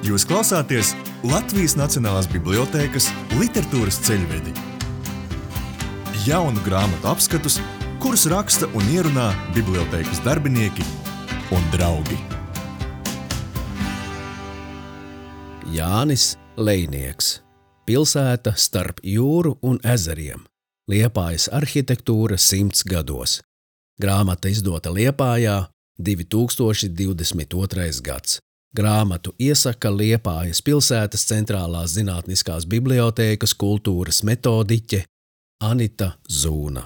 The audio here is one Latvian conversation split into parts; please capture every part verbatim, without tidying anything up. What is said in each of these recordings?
Jūs klausāties Latvijas Nacionālās bibliotēkas literatūras ceļvedi. Jaunu grāmatu apskatus, kurus raksta un ierunā bibliotēkas darbinieki un draugi. Jānis Lejnieks. Pilsēta starp jūru un ezeriem. Liepājas arhitektūra simts gados. Grāmata izdota Liepājā, divi tūkstoši divdesmit otrais gads. Grāmatu iesaka Liepājas pilsētas centrālās zinātniskās bibliotēkas kultūras metodiķe Anita Zūna.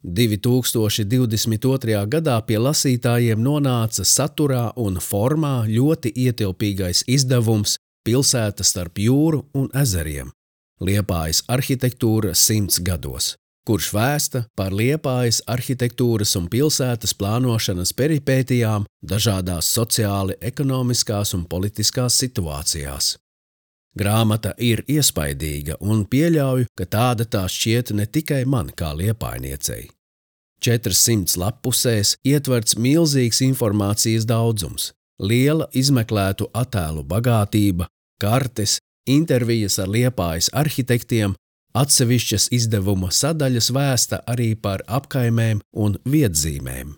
divi tūkstoši divdesmit otrajā gadā pie lasītājiem nonāca saturā un formā ļoti ietilpīgais izdevums Pilsēta starp jūru un ezeriem. Liepājas arhitektūra simts gados, kurš vēsta par Liepājas arhitektūras un pilsētas plānošanas peripētijām dažādās sociāli, ekonomiskās un politiskās situācijās. Grāmata ir iespaidīga un pieļauju, ka tāda tā šķiet ne tikai man kā liepainiecei. četrsimt lappusēs ietverts milzīgs informācijas daudzums, liela izmeklētu attēlu bagātība, kartes, intervijas ar Liepājas arhitektiem, atsevišķas izdevuma sadaļas vēsta arī par apkaimēm un vietzīmēm.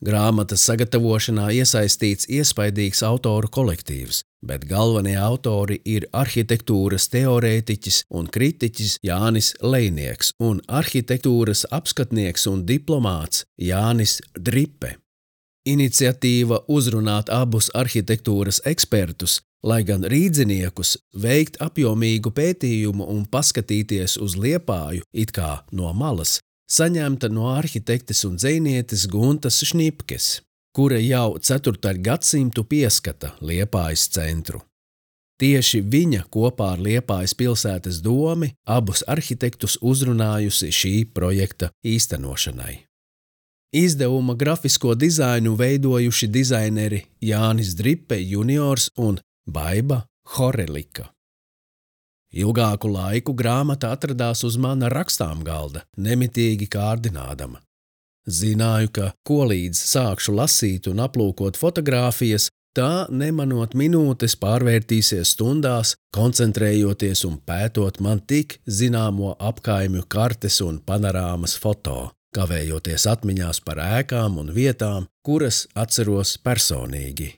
Grāmatas sagatavošanā iesaistīts iespaidīgs autoru kolektīvs, bet galvenie autori ir arhitektūras teorētiķis un kritiķis Jānis Lejnieks un arhitektūras apskatnieks un diplomāts Jānis Dripe. Iniciatīva uzrunāt abus arhitektūras ekspertus, lai gan rīdziniekus, veikt apjomīgu pētījumu un paskatīties uz Liepāju it kā no malas, saņemta no arhitektes un dzejnietes Guntas Šnipkes, kura jau ceturto gadsimtu pieskata Liepājas centru. Tieši viņa kopā ar Liepājas pilsētas domi abus arhitektus uzrunājusi šī projekta īstenošanai. Izdevuma grafisko dizainu veidojuši dizaineri Jānis Dripe juniors un Baiba Horelika. Ilgāku laiku grāmata atradās uz mana rakstām galda, nemitīgi kārdinādama. Zināju, ka, ko līdz sākšu lasīt un aplūkot fotogrāfijas, tā nemanot minūtes pārvērtīsies stundās, koncentrējoties un pētot man tik zināmo apkaimju kartes un panorāmas foto, kavējoties atmiņās par ēkām un vietām, kuras atceros personīgi.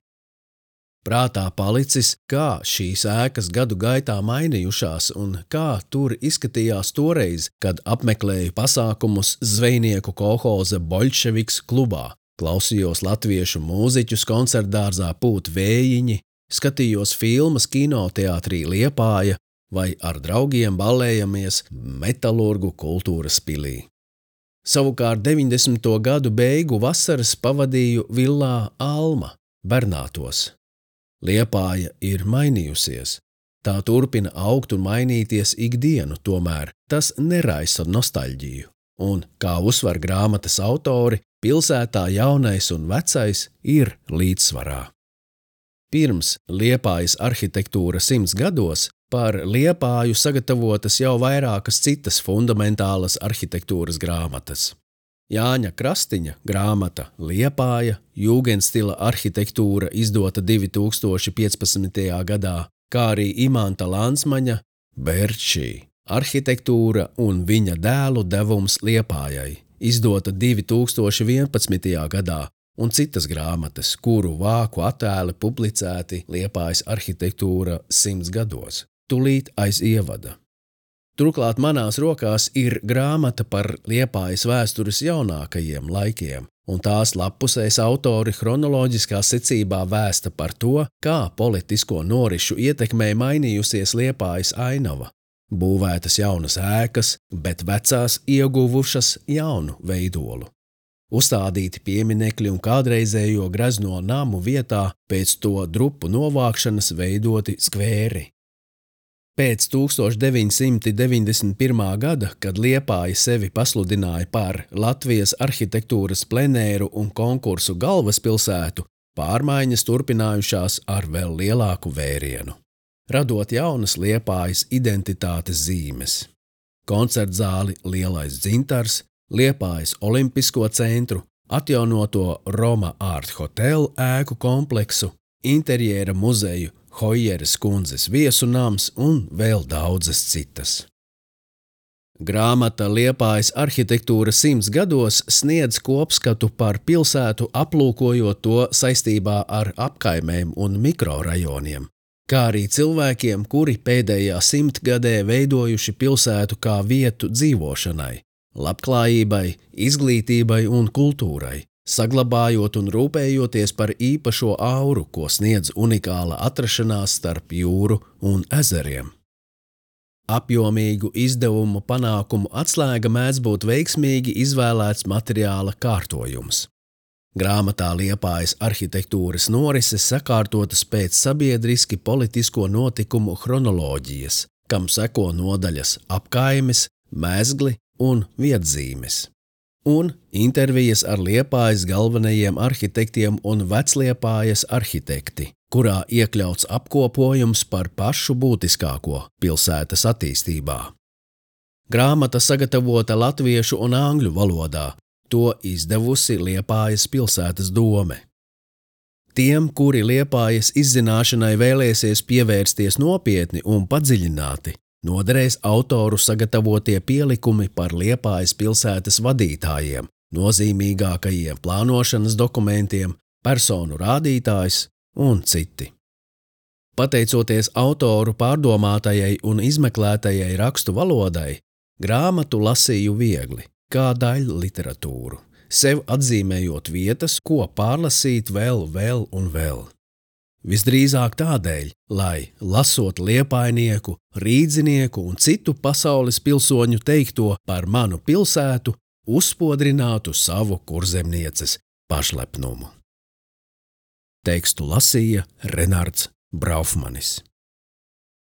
Prātā palicis, kā šīs ēkas gadu gaitā mainījušās un kā tur izskatījās toreiz, kad apmeklēju pasākumus zvejnieku kolhoza Boļševiks klubā, klausījos latviešu mūziķus koncertdārzā Pūt vējiņi, skatījos filmas kinoteātrī Liepāja vai ar draugiem ballējamies Metalurgu kultūras pilī. Savukārt deviņdesmito gadu beigu vasaras pavadīju villā Alma, Bernātos. Liepāja ir mainījusies. Tā turpina augt un mainīties ikdienu, tomēr tas neraisa nostalģiju. Un, kā uzsver grāmatas autori, pilsētā jaunais un vecais ir līdzsvarā. Pirms Liepājas arhitektūra simts gados par Liepāju sagatavotas jau vairākas citas fundamentālas arhitektūras grāmatas. Jāņa Krastiņa grāmata Liepāja, jūgenstila arhitektūra izdota divi tūkstoši piecpadsmitajā gadā, kā arī Imanta Lansmaņa Berčī, arhitektūra un viņa dēlu devums Liepājai, izdota divi tūkstoši vienpadsmitajā gadā, un citas grāmatas, kuru vāku attēli publicēti Liepājas arhitektūra simts gados, tulīt aiz ievada. Turklāt manās rokās ir grāmata par Liepājas vēstures jaunākajiem laikiem, un tās lappusēs autori chronoloģiskā secībā vēsta par to, kā politisko norišu ietekmē mainījusies Liepājas ainava. Būvētas jaunas ēkas, bet vecās ieguvušas jaunu veidolu. Uzstādīti pieminekļi un kādreizējo grezno namu vietā pēc to drupu novākšanas veidoti skvēri. Pēc tūkstoš deviņsimt deviņdesmit pirmā gada, kad Liepāja sevi pasludināja par Latvijas arhitektūras plenēru un konkursu galvaspilsētu, pārmaiņas turpinājušās ar vēl lielāku vērienu, radot jaunas Liepājas identitātes zīmes. Koncertzāli Lielais dzintars, Liepājas olimpisko centru, atjaunoto Roma Art Hotel ēku kompleksu, interjera muzeju Hojeres kundzes viesu nams un vēl daudzas citas. Grāmata Liepājas arhitektūra simts gados sniedz kopskatu par pilsētu, aplūkojot to saistībā ar apkaimēm un mikrorajoniem, kā arī cilvēkiem, kuri pēdējā simtgadē veidojuši pilsētu kā vietu dzīvošanai, labklājībai, izglītībai un kultūrai, saglabājot un rūpējoties par īpašo auru, ko sniedz unikāla atrašanās starp jūru un ezeriem. Apjomīgu izdevumu panākumu atslēga mēdz būt veiksmīgi izvēlēts materiāla kārtojums. Grāmatā Liepājas arhitektūras norises sakārtotas pēc sabiedriski politisko notikumu chronoloģijas, kam seko nodaļas apkaimes, mezgli un vietzīmes. Un intervijas ar Liepājas galvenajiem arhitektiem un Vecliepājas arhitekti, kurā iekļauts apkopojums par pašu būtiskāko pilsētas attīstībā. Grāmata sagatavota latviešu un angļu valodā, to izdevusi Liepājas pilsētas dome. Tiem, kuri Liepājas izzināšanai vēlēsies pievērsties nopietni un padziļināti, noderēs autoru sagatavotie pielikumi par Liepājas pilsētas vadītājiem, nozīmīgākajiem plānošanas dokumentiem, personu rādītājs un citi. Pateicoties autoru pārdomātajai un izmeklētajai rakstu valodai, grāmatu lasīju viegli, kā daļu literatūru, sev atzīmējot vietas, ko pārlasīt vēl, vēl un vēl. Visdrīzāk tādēļ, lai, lasot liepājnieku, rīdzinieku un citu pasaules pilsoņu teikto par manu pilsētu, uzspodrinātu savu kurzemnieces pašlepnumu. Tekstu lasīja Renards Braufmanis.